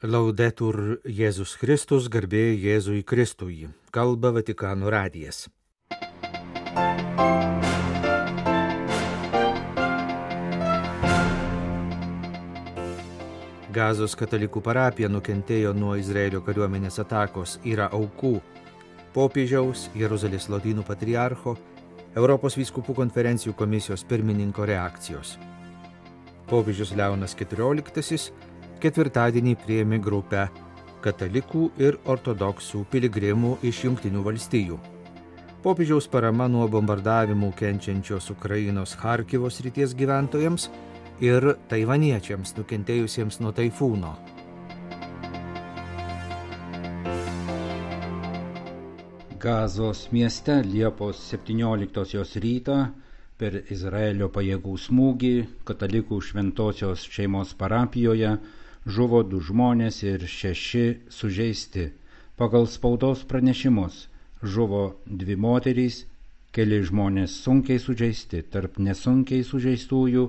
Laudetur Jėzus Kristus, garbė Jėzui Kristui. Kalba Vatikano radijas. Gazos katalikų parapija nukentėjo nuo Izraelio kariuomenės atakos, yra aukų. Popiežiaus, Jeruzalės lotynų patriarcho, Europos vyskupų konferencijų komisijos pirmininko reakcijos. Popiežius Leonas XIV ketvirtadienį priėmė grupę katalikų ir ortodoksų piligrimų iš Jungtinių valstijų. Popiežiaus parama nuo bombardavimų kenčiančios Ukrainos Charkivo srities gyventojams ir taivaniečiams nukentėjusiems nuo taifūno. Gazos mieste Liepos 17 rytą per Izraelio pajėgų smūgį katalikų šventosios šeimos parapijoje žuvo 2 žmonės ir 6 sužeisti. Pagal spaudos pranešimus žuvo 2 moterys, keli žmonės sunkiai sužeisti. Tarp nesunkiai sužeistųjų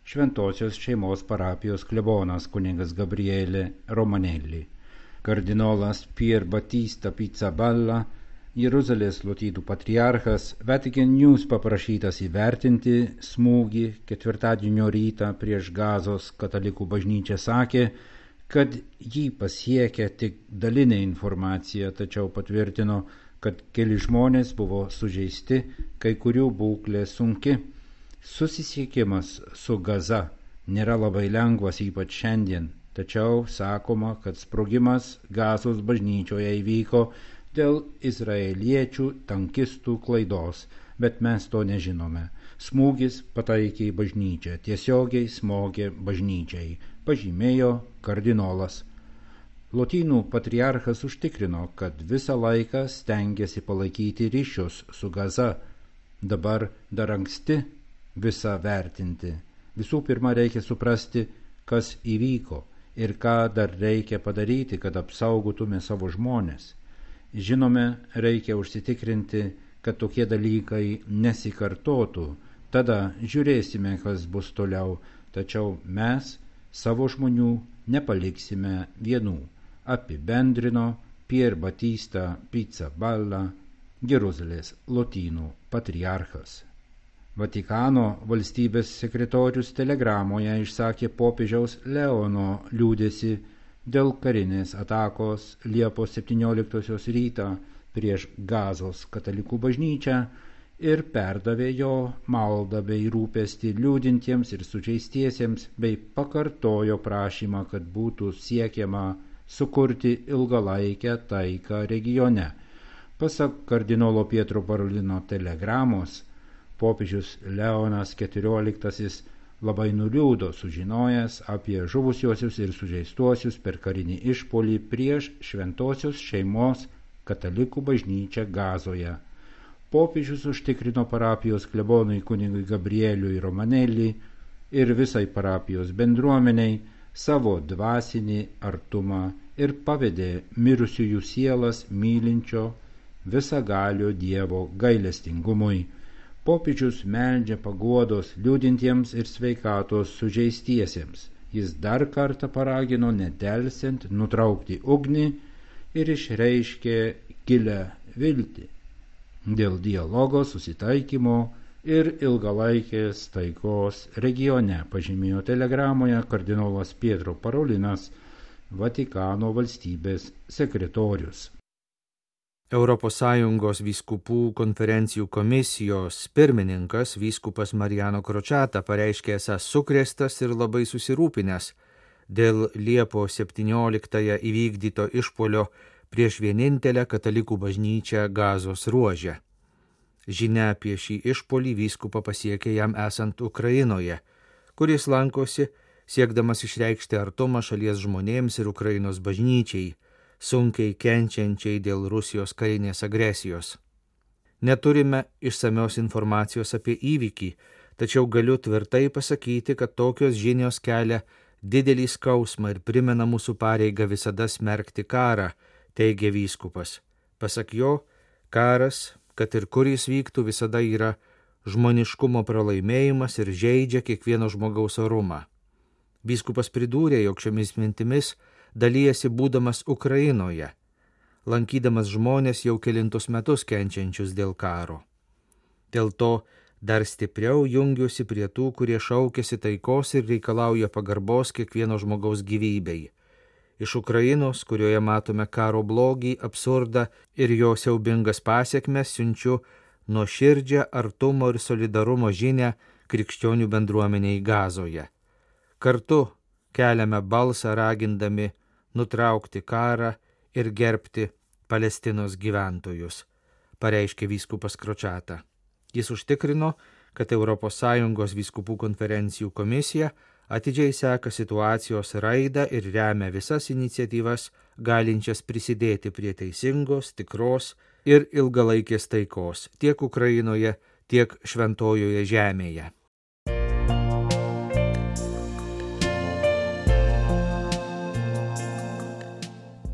šventosios šeimos parapijos klebonas kunigas Gabriele Romanelli. Kardinolas Pier Battista Pizzaballa, Jeruzalės lotynų patriarchas, Vatican News paprašytas įvertinti smūgį ketvirtadienio rytą prieš Gazos katalikų bažnyčią, sakė, kad jį pasiekia tik dalinė informacija, tačiau patvirtino, kad keli žmonės buvo sužeisti, kai kurių būklė sunki. Susisiekimas su Gaza nėra labai lengvas, ypač šiandien, tačiau sakoma, kad sprogimas Gazos bažnyčioje įvyko dėl izraeliečių tankistų klaidos, bet mes to nežinome. Smūgis pataikė į bažnyčią, tiesiogiai smogė bažnyčiai, pažymėjo kardinolas. Lotynų patriarchas užtikrino, kad visą laiką stengiasi palaikyti ryšius su Gaza. Dabar dar anksti visą vertinti. Visų pirma, reikia suprasti, kas įvyko ir ką dar reikia padaryti, kad apsaugotume savo žmones. Žinome, reikia užsitikrinti, kad tokie dalykai nesikartotų. Tada žiūrėsime, kas bus toliau, tačiau mes savo žmonių nepaliksime vienų, apibendrino Pier Battista Pizzaballa, Jeruzalės lotynų patriarchas. Vatikano valstybės sekretorius telegramoje išsakė popiežiaus Leono liūdesį dėl karinės atakos Liepos 17 rytą prieš Gazos katalikų bažnyčią ir perdavė jo maldą bei rūpestį liūdintiems ir sužeistiesiems, bei pakartojo prašymą, kad būtų siekiama sukurti ilgalaikę taiką regione. Pasak kardinolo Pietro Parolino telegramos, popiežius Leonas XIV labai nuliūdo sužinojęs apie žuvusiuosius ir sužeistuosius per karinį išpuolį prieš šventosios šeimos katalikų bažnyčią Gazoje. Popiežius užtikrino parapijos klebonui kunigui Gabrieliui Romanelli ir visai parapijos bendruomeniai savo dvasinį artumą ir pavedė mirusiųjų sielas mylinčio visagalio Dievo gailestingumui. Popiežius meldžia paguodos liūdintiems ir sveikatos sužeistiesiems. Jis dar kartą paragino nedelsiant nutraukti ugnį ir išreiškė gilią viltį dėl dialogo, susitaikymo ir ilgalaikės taikos regione, pažymėjo telegramoje kardinolas Pietro Parolinas, Vatikano valstybės sekretorius. ES vyskupų konferencijų komisijos pirmininkas vyskupas Mariano Crociata pareiškė esąs sukrėstas ir labai susirūpinęs dėl Liepos 17 įvykdyto išpuolio prieš vienintelę katalikų bažnyčią Gazos ruože. Žinia apie šį išpuolį vyskupą pasiekė jam esant Ukrainoje, kuris lankosi siekdamas išreikšti artumą šalies žmonėms ir Ukrainos bažnyčiai, sunkiai kenčiančiai dėl Rusijos karinės agresijos. Neturime išsamios informacijos apie įvykį, tačiau galiu tvirtai pasakyti, kad tokios žinios kelia didelį skausmą ir primena mūsų pareigą visada smerkti karą, teigia vyskupas. Pasak jo, karas, kad ir kur jis vyktų, visada yra žmoniškumo pralaimėjimas ir žeidžia kiekvieno žmogaus orumą. Vyskupas pridūrė, jog šiomis mintimis dalyjasi būdamas Ukrainoje, lankydamas žmonės jau kelintus metus kenčiančius dėl karo. Dėl to dar stipriau jungiuosi prie tų, kurie šaukiasi taikos ir reikalauja pagarbos kiekvieno žmogaus gyvybei. Iš Ukrainos, kurioje matome karo blogį, absurdą ir jo siaubingas pasiekmes, siunčiu nuoširdžią artumo ir solidarumo žinią krikščionių bendruomeniai Gazoje. Kartu keliame balsą ragindami nutraukti karą ir gerbti Palestinos gyventojus, pareiškė vyskupas Kročata. Jis užtikrino, kad ES vyskupų konferencijų komisija atidžiai seka situacijos raidą ir remia visas iniciatyvas, galinčias prisidėti prie teisingos, tikros ir ilgalaikės taikos tiek Ukrainoje, tiek Šventojoje žemėje.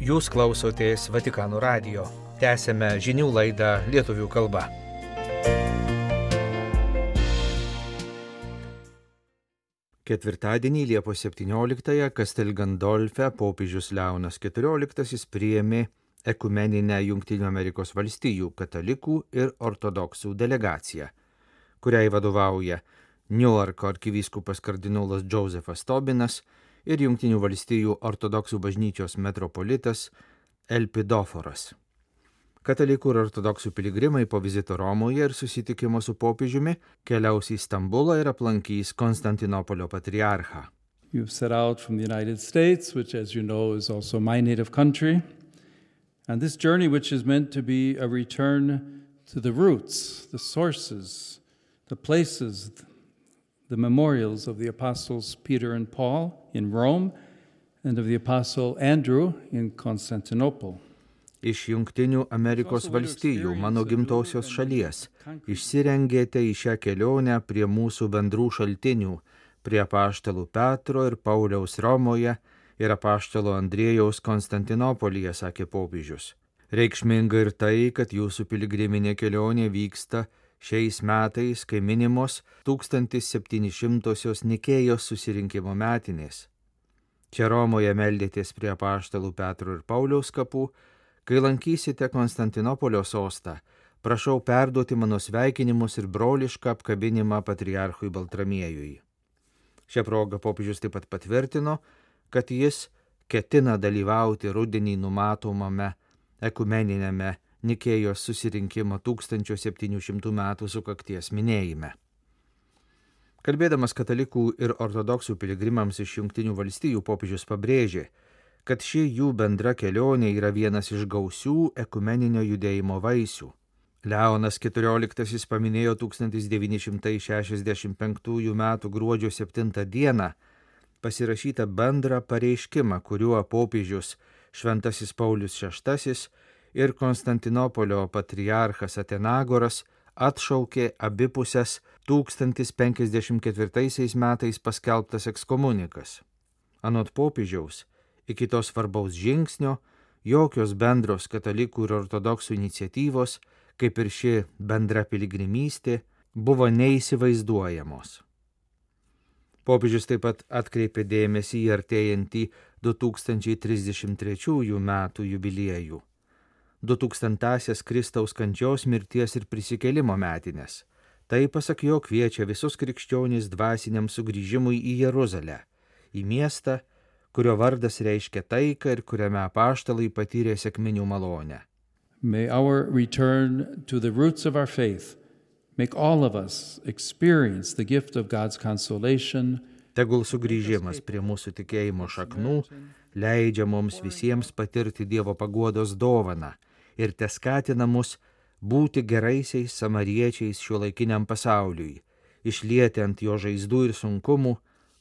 Jūs klausotės Vatikano radijo. Tęsėme žinių laidą lietuvių kalba. Ketvirtadienį Liepos 17-ąją Castel Gandolfe popiežius Leonas XIV priėmė ekumeninę Jungtinių Amerikos valstijų katalikų ir ortodoksų delegaciją, kuriai vadovauja Niuarko arkivyskupas kardinolas Džozefas Tobinas ir Jungtinių valstijų ortodoksų bažnyčios metropolitas Elpidoforas. Katalikų ir ortodoksų piligrimai po vizito Romoje ir susitikimo su popiežiumi keliaus į Stambulą ir aplankys Konstantinopolio patriarchą. You've set out from the United States, which, as you know, is also my native country. And this journey, which is meant to be a return to the roots, the sources, the places, the memorials of the apostles Peter and Paul in Rome and of the apostle Andrew in Constantinople. Iš Jungtinių Amerikos valstijų, mano gimtosios šalies, išsirengėte į šią kelionę prie mūsų bendrų šaltinių, prie apaštalų Petro ir Pauliaus Romoje ir apaštalo Andriejaus Konstantinopolyje, sakė popiežius. Reikšminga ir tai, kad jūsų piligriminė kelionė vyksta šiais metais, kai minimos 1700-osios Nikėjos susirinkimo metinės. Čia Romoje meldėtės prie apaštalų Petro ir Pauliaus kapų. Kai lankysite Konstantinopolio sostą, prašau perduoti mano sveikinimus ir brolišką apkabinimą patriarchui Baltramiejui. Šią progą popiežius taip pat patvirtino, kad jis ketina dalyvauti rudenį numatomame ekumeninėme Nikėjos susirinkimo 1700 metų sukakties minėjime. Kalbėdamas katalikų ir ortodoksų piligrimams iš Jungtinių valstijų, popiežius pabrėžė, kad ši jų bendra kelionė yra vienas iš gausių ekumeninio judėjimo vaisių. Leonas XIV paminėjo 1965 m. gruodžio 7 d. pasirašytą bendrą pareiškimą, kuriuo popiežius Šventasis Paulius VI ir Konstantinopolio patriarchas Atenagoras atšaukė abipusės 1054 metais paskelbtas ekskomunikas. Anot popiežiaus, iki to svarbaus žingsnio jokios bendros katalikų ir ortodoksų iniciatyvos, kaip ir ši bendra piligrimystė, buvo neįsivaizduojamos. Popiežius taip pat atkreipė dėmesį į artėjantį 2033 metų jubiliejų, 2000-asias Kristaus kančios, mirties ir prisikėlimo metines. Tai, pasak jo, kviečia visus krikščionys dvasiniam sugrįžimui į Jeruzalę, į miestą, kurio vardas reiškia taiką ir kuriame apaštalai patyrė sekminių malonę. May our return to the roots of our faith make all of us experience the gift of God's consolation. Tegul sugrįžimas prie mūsų tikėjimo šaknų leidžia mums visiems patirti Dievo paguodos dovaną ir teskatina mus būti geraisiais samariečiais šiuolaikiniam pasauliui, išlieti ant jo žaizdų ir sunkumų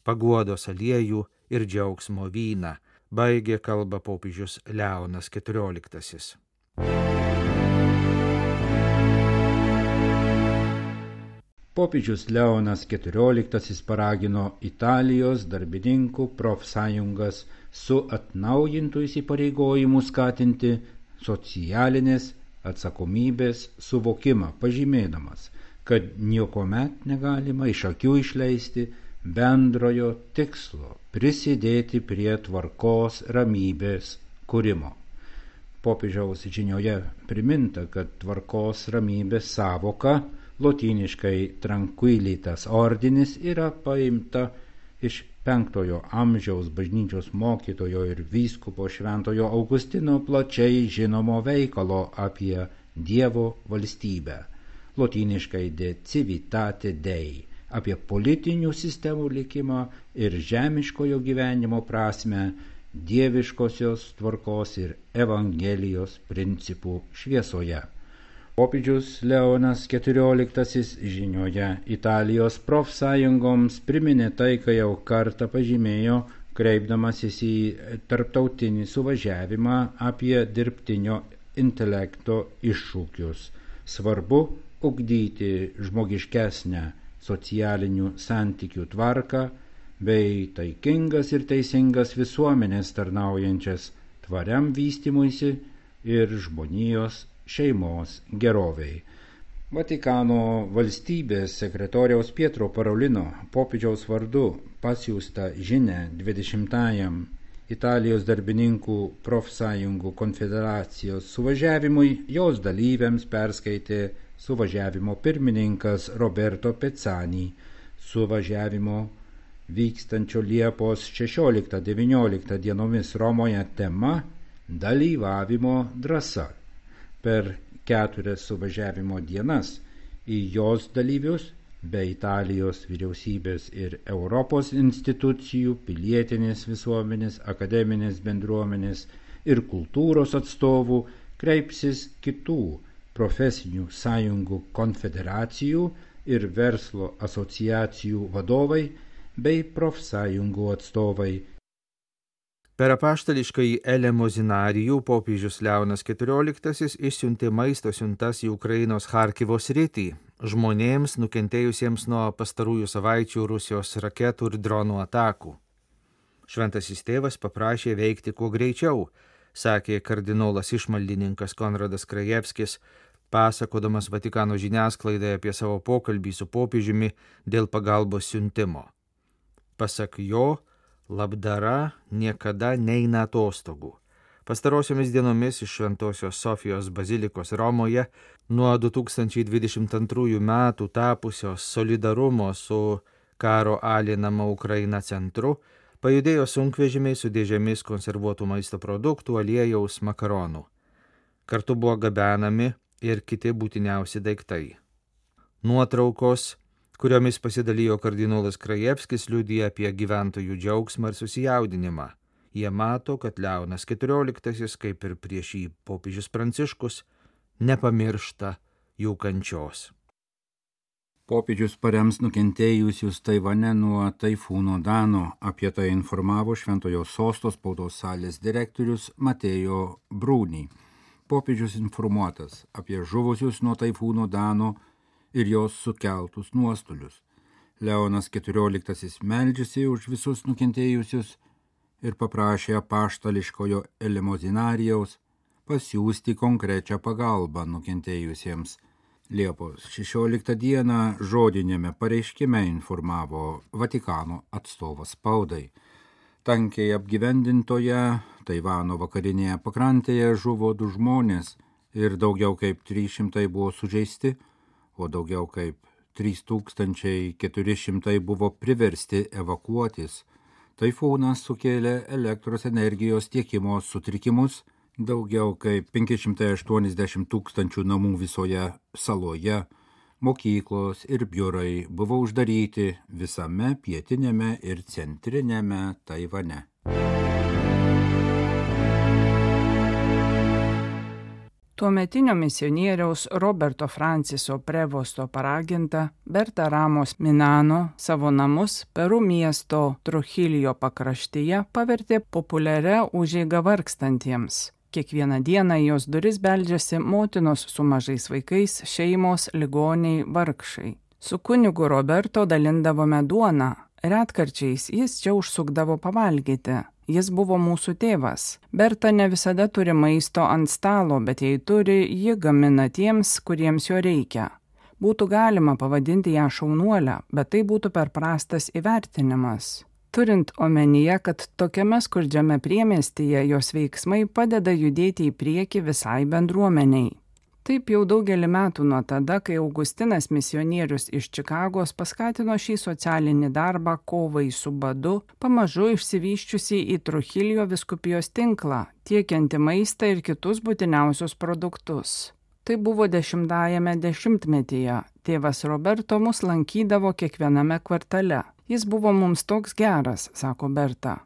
paguodos aliejų ir džiaugsmo vyną, baigė kalbą popiežius Leonas XIV. Popiežius Leonas XIV paragino Italijos darbininkų profsąjungas su atnaujintų įsipareigojimu skatinti socialinės atsakomybės suvokimą, pažymėdamas, kad niekuomet negalima iš akių išleisti bendrojo tikslo prisidėti prie tvarkos ramybės kūrimo. Popiežiaus žinioje priminta, kad tvarkos ramybės savoka, lotyniškai tranquilitas ordinis, yra paimta iš 5 amžiaus bažnyčios mokytojo ir vyskupo šventojo Augustino plačiai žinomo veikalo apie Dievo valstybę, lotyniškai de civitate Dei, apie politinių sistemų likimą ir žemiškojo gyvenimo prasmę dieviškosios tvarkos ir Evangelijos principų šviesoje. Popiežius Leonas XIV žinioje Italijos profsąjungoms priminė tai, ką jau kartą pažymėjo, kreipdamasis į tarptautinį suvažiavimą apie dirbtinio intelekto iššūkius. Svarbu ugdyti žmogiškesnę socialinių santykių tvarką bei taikingas ir teisingas visuomenės tarnaujančias tvariam vystymuisi ir žmonijos šeimos geroviai. Vatikano valstybės sekretoriaus Pietro Parolino popiežiaus vardu pasiųstą žinią 20-ajam Italijos darbininkų profsąjungų konfederacijos suvažiavimui jos dalyviams perskaitė suvažiavimo pirmininkas Roberto Pezzani. Suvažiavimo vykstančio Liepos 16-19 dienomis Romoje tema dalyvavimo drąsa. Per 4 suvažiavimo dienas į jos dalyvius bei Italijos vyriausybės ir Europos institucijų, pilietinės visuomenės, akademinės bendruomenės ir kultūros atstovų kreipsis kitų profesinių sąjungų konfederacijų ir verslo asociacijų vadovai bei profsąjungų atstovai. Per apaštališkąjį elemozinarijų popiežius Leonas XIV išsiuntė maisto siuntas į Ukrainos Charkivo sritį žmonėms nukentėjusiems nuo pastarųjų savaičių Rusijos raketų ir dronų atakų. Šventasis tėvas paprašė veikti kuo greičiau, sakė kardinolas išmaldininkas Konradas Krajevskis, pasakodamas Vatikano žiniasklaidai apie savo pokalbį su popiežiumi dėl pagalbos siuntimo. Pasak jo, labdara niekada neina atostogų. Pastarosiomis dienomis iš Šventosios Sofijos bazilikos Romoje nuo 2022 metų tapusios solidarumo su karo alinama Ukraina centru pajudėjo sunkvežimiai su dėžėmis konservuotų maisto produktų, aliejaus, makaronų. Kartu buvo gabenami ir kiti būtiniausi daiktai. Nuotraukos, kuriomis pasidalijo kardinolas Krajevskis, liudija apie gyventojų džiaugsmą ir susijaudinimą. Jie mato, kad Leonas XIV, kaip ir prieš jį popiežius Pranciškus, nepamiršta jų kančios. Popiežius parems nukentėjusius Taivane nuo taifūno Dano. Apie tai informavo Šventojo Sosto spaudos salės direktorius Mateo Bruni. Popiežius informuotas apie žuvusius nuo taifūno Dano ir jos sukeltus nuostolius. Leonas XIV meldžiasi už visus nukentėjusius ir paprašė apaštališkojo elemozinarijaus pasiųsti konkrečią pagalbą nukentėjusiems. Liepos 16 dieną žodinėme pareiškime informavo Vatikano atstovas spaudai. Tankiai apgyvendintoje Taivano vakarinėje pakrantėje žuvo 2 žmonės ir daugiau kaip 300 buvo sužeisti, o daugiau kaip 3400 buvo priversti evakuotis. Taifūnas sukėlė elektros energijos tiekimo sutrikimus, daugiau kaip 580 000 namų visoje saloje, mokyklos ir biurai buvo uždaryti visame pietinėme ir centrinėme Taivane. Tuometinio misionieriaus Roberto Franciso Prevosto paraginta Berta Ramos Minano savo namus Peru miesto Trujillo pakraštyje pavertė populiaria užeiga vargstantiems. Kiekvieną dieną į jos duris beldžiasi motinos su mažais vaikais, šeimos, ligoniai, vargšai. Su kunigu Roberto dalindavome duoną. Retkarčiais jis čia užsukdavo pavalgyti. Jis buvo mūsų tėvas. Berta ne visada turi maisto ant stalo, bet jei turi, ji gamina tiems, kuriems jo reikia. Būtų galima pavadinti ją šaunuolę, bet tai būtų per prastas įvertinimas. Turint omenyje, kad tokiame skurdžiame priemiestyje jos veiksmai padeda judėti į priekį visai bendruomeniai. Taip jau daugelį metų nuo tada, kai Augustinas misionierius iš Čikagos paskatino šį socialinį darbą kovai su badu, pamažu išsivysčiusi į Truchilio vyskupijos tinklą, tiekianti maistą ir kitus būtiniausius produktus. Tai buvo 10-ajame dešimtmetyje. Tėvas Roberto mus lankydavo kiekviename kvartale. Jis buvo mums toks geras, sako Berta.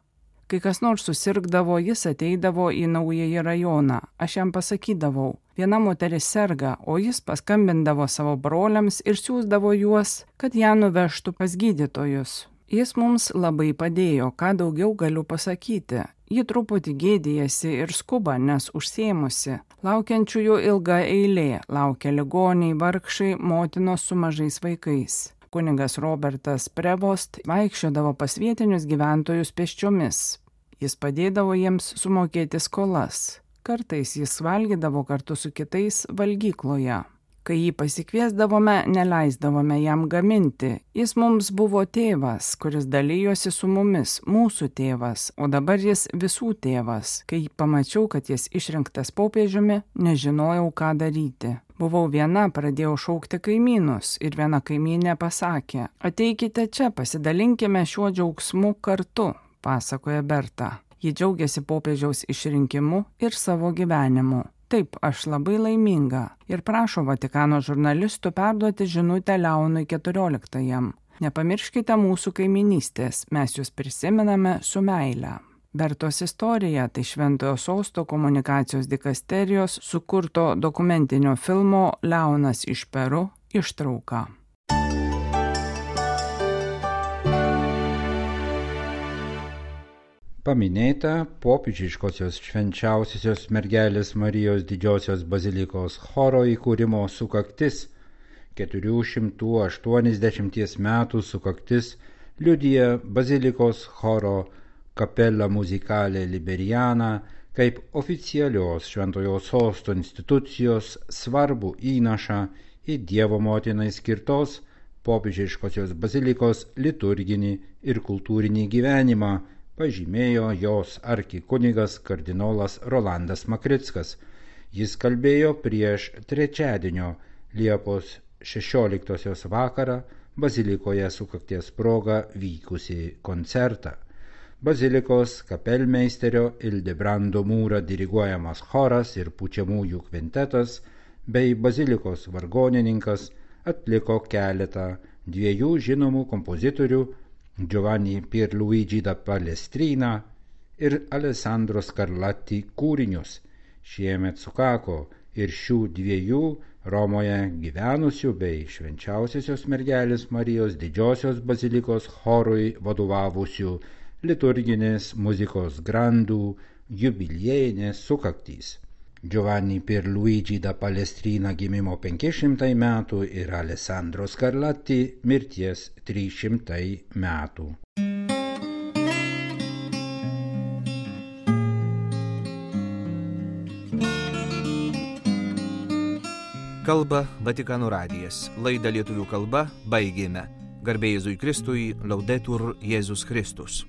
Kai kas nors susirgdavo, jis ateidavo į naująjį rajoną. Aš jam pasakydavau, viena moteris serga, o jis paskambindavo savo broliams ir siųsdavo juos, kad ją nuvežtų pas gydytojus. Jis mums labai padėjo, ką daugiau galiu pasakyti. Ji truputį gėdijasi ir skuba, nes užsiėmusi. Laukiančiųjų ilga eilė, laukia ligoniai, vargšai, motinos su mažais vaikais. Kunigas Robertas Prevost vaikščiodavo pas vietinius gyventojus pėsčiomis. Jis padėdavo jiems sumokėti skolas. Kartais jis valgydavo kartu su kitais valgykloje. Kai jį pasikviesdavome, neleisdavome jam gaminti. Jis mums buvo tėvas, kuris dalijosi su mumis, mūsų tėvas, o dabar jis visų tėvas. Kai pamačiau, kad jis išrinktas popiežiumi, nežinojau, ką daryti. Buvau viena, pradėjau šaukti kaimynus ir viena kaimynė pasakė, ateikite čia, pasidalinkime šiuo džiaugsmu kartu, pasakoja Berta. Ji džiaugiasi popiežiaus išrinkimu ir savo gyvenimu. Taip, aš labai laiminga ir prašo Vatikano žurnalistų perduoti žinutę Leonui XIV. Nepamirškite mūsų kaiminystės, mes jūs prisimename su meile. Bertos istorija tai Šventojo Sosto komunikacijos dikasterijos sukurto dokumentinio filmo Leonas iš Peru ištrauka. Paminėta popiežiškosios švenčiausiosios mergelės Marijos didžiosios bazilikos choro įkūrimo sukaktis. 480 metų sukaktis liudija bazilikos choro Capella Musicale Liberiana kaip oficialios Šventojo Sosto institucijos svarbų įnašą į Dievo motinai skirtos popiežiškosios bazilikos liturginį ir kultūrinį gyvenimą, pažymėjo jos arkikunigas kardinolas Rolandas Makrickas. Jis kalbėjo prieš trečiadienio Liepos 16 vakarą bazilikoje sukakties proga vykusį koncertą. Bazilikos kapelmeisterio Ildebrando Mūra diriguojamas choras ir pučiamųjų kvintetas bei bazilikos vargonininkas atliko keletą dviejų žinomų kompozitorių Giovanni Pierluigi da Palestrina ir Alessandro Scarlatti kūrinius. Šiemet sukako ir šių dviejų Romoje gyvenusių bei švenčiausiosios mergelės Marijos didžiosios bazilikos chorui vadovavusių liturginės muzikos grandų jubiliejinės sukaktys. Giovanni Pierluigi da Palestrina gimimo 500 metų ir Alessandro Scarlatti mirties 300 metų. Kalba Vatikano radijas. Laidą lietuvių kalba baigėme. Garbė Jėzui Kristui, Laudetur Jėzus Kristus.